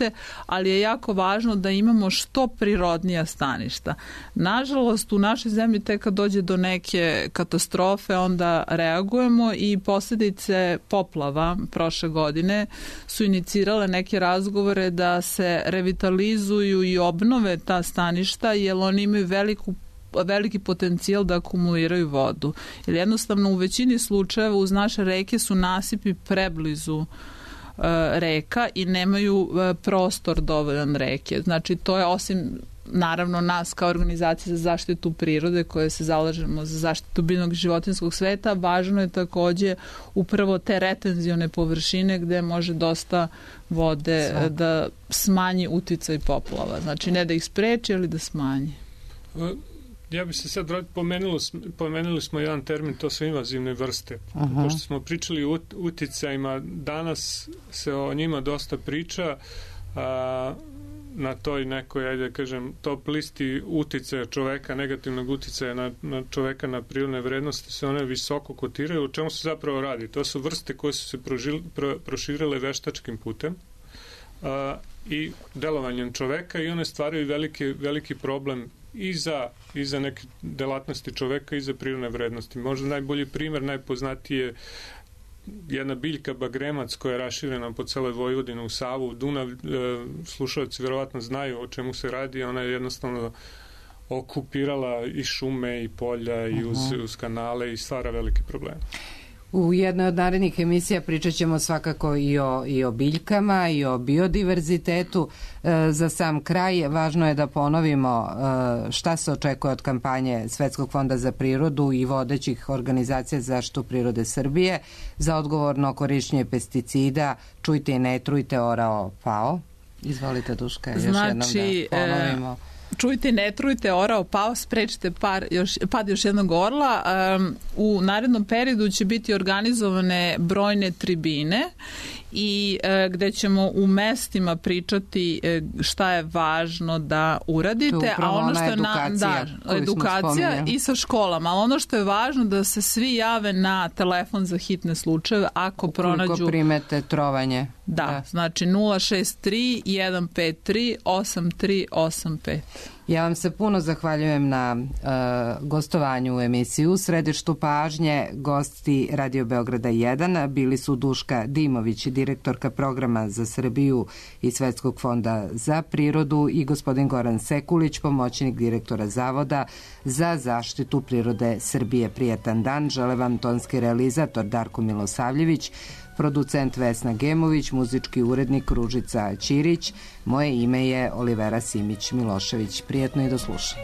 [SPEAKER 4] ali je jako važno da imamo što prirodnija staništa. Nažalost, u našoj zemlji tek kad dođe do neke katastrofe, onda reagujemo, i posljedice poplava prošle godine su inicirale neke razgovore da se revitalizuju i obnove ta staništa, jer oni imaju veliku veliki potencijal da akumuliraju vodu. Jer jednostavno u većini slučajeva uz naše reke su nasipi preblizu reka i nemaju prostor dovoljan reke. Znači to je osim naravno nas kao organizacija za zaštitu prirode koje se zalažemo za zaštitu biljnog i životinjskog sveta, važno je takođe upravo te retenzione površine gde može dosta vode da smanji uticaj poplava. Znači ne da ih spreči, ali da smanji.
[SPEAKER 5] Ja bi se sad pomenuli smo jedan termin, to su invazivne vrste. Pošto smo pričali o uticajima, danas se o njima dosta priča, na toj nekoj, ajde kažem, top listi uticaja čoveka, negativnog uticaja na čoveka na prirodne vrednosti se one visoko kotiraju. O čemu se zapravo radi? To su vrste koje su se proširile veštačkim putem i delovanjem čoveka i one stvaraju veliki problem i za neke delatnosti čoveka i za prirodne vrednosti. Možda najbolji primer, najpoznatiji je jedna biljka bagremac koja je raširena po celoj Vojvodini u Savu, Dunav, slušalci verovatno znaju o čemu se radi, ona je jednostavno okupirala i šume i polja i uz kanale i stvara velike probleme.
[SPEAKER 1] U jednoj od narednih emisija pričat ćemo svakako i o biljkama i o biodiverzitetu. Za sam kraj važno je da ponovimo šta se očekuje od kampanje Svetskog fonda za prirodu i vodećih organizacija za zaštitu prirode Srbije za odgovorno korišćenje pesticida. Čujte i ne trujte, orao pao. Izvolite, Duška, još jednom da ponovimo.
[SPEAKER 4] Čujte, ne trujte, orao pao, sprečite pad još jednog orla. U narednom periodu će biti organizovane brojne tribine i gde ćemo u mestima pričati šta je važno da uradite, a ono što je edukacija i sa školama, ali ono što je važno da se svi jave na telefon za hitne slučajeve ako pronađu
[SPEAKER 1] primete trovanje.
[SPEAKER 4] Da, znači 063 153 8385.
[SPEAKER 1] Ja vam se puno zahvaljujem na gostovanju u emisiji. U središtu pažnje gosti Radio Beograda 1 bili su Duška Dimović, direktorka programa za Srbiju i Svetskog fonda za prirodu, i gospodin Goran Sekulić, pomoćnik direktora Zavoda za zaštitu prirode Srbije. Prijatan dan, žele vam tonski realizator Darko Milosavljević, producent Vesna Gemović, muzički urednik Ružica Ćirić. Moje ime je Olivera Simić-Milošević. Prijetno i do slušanja.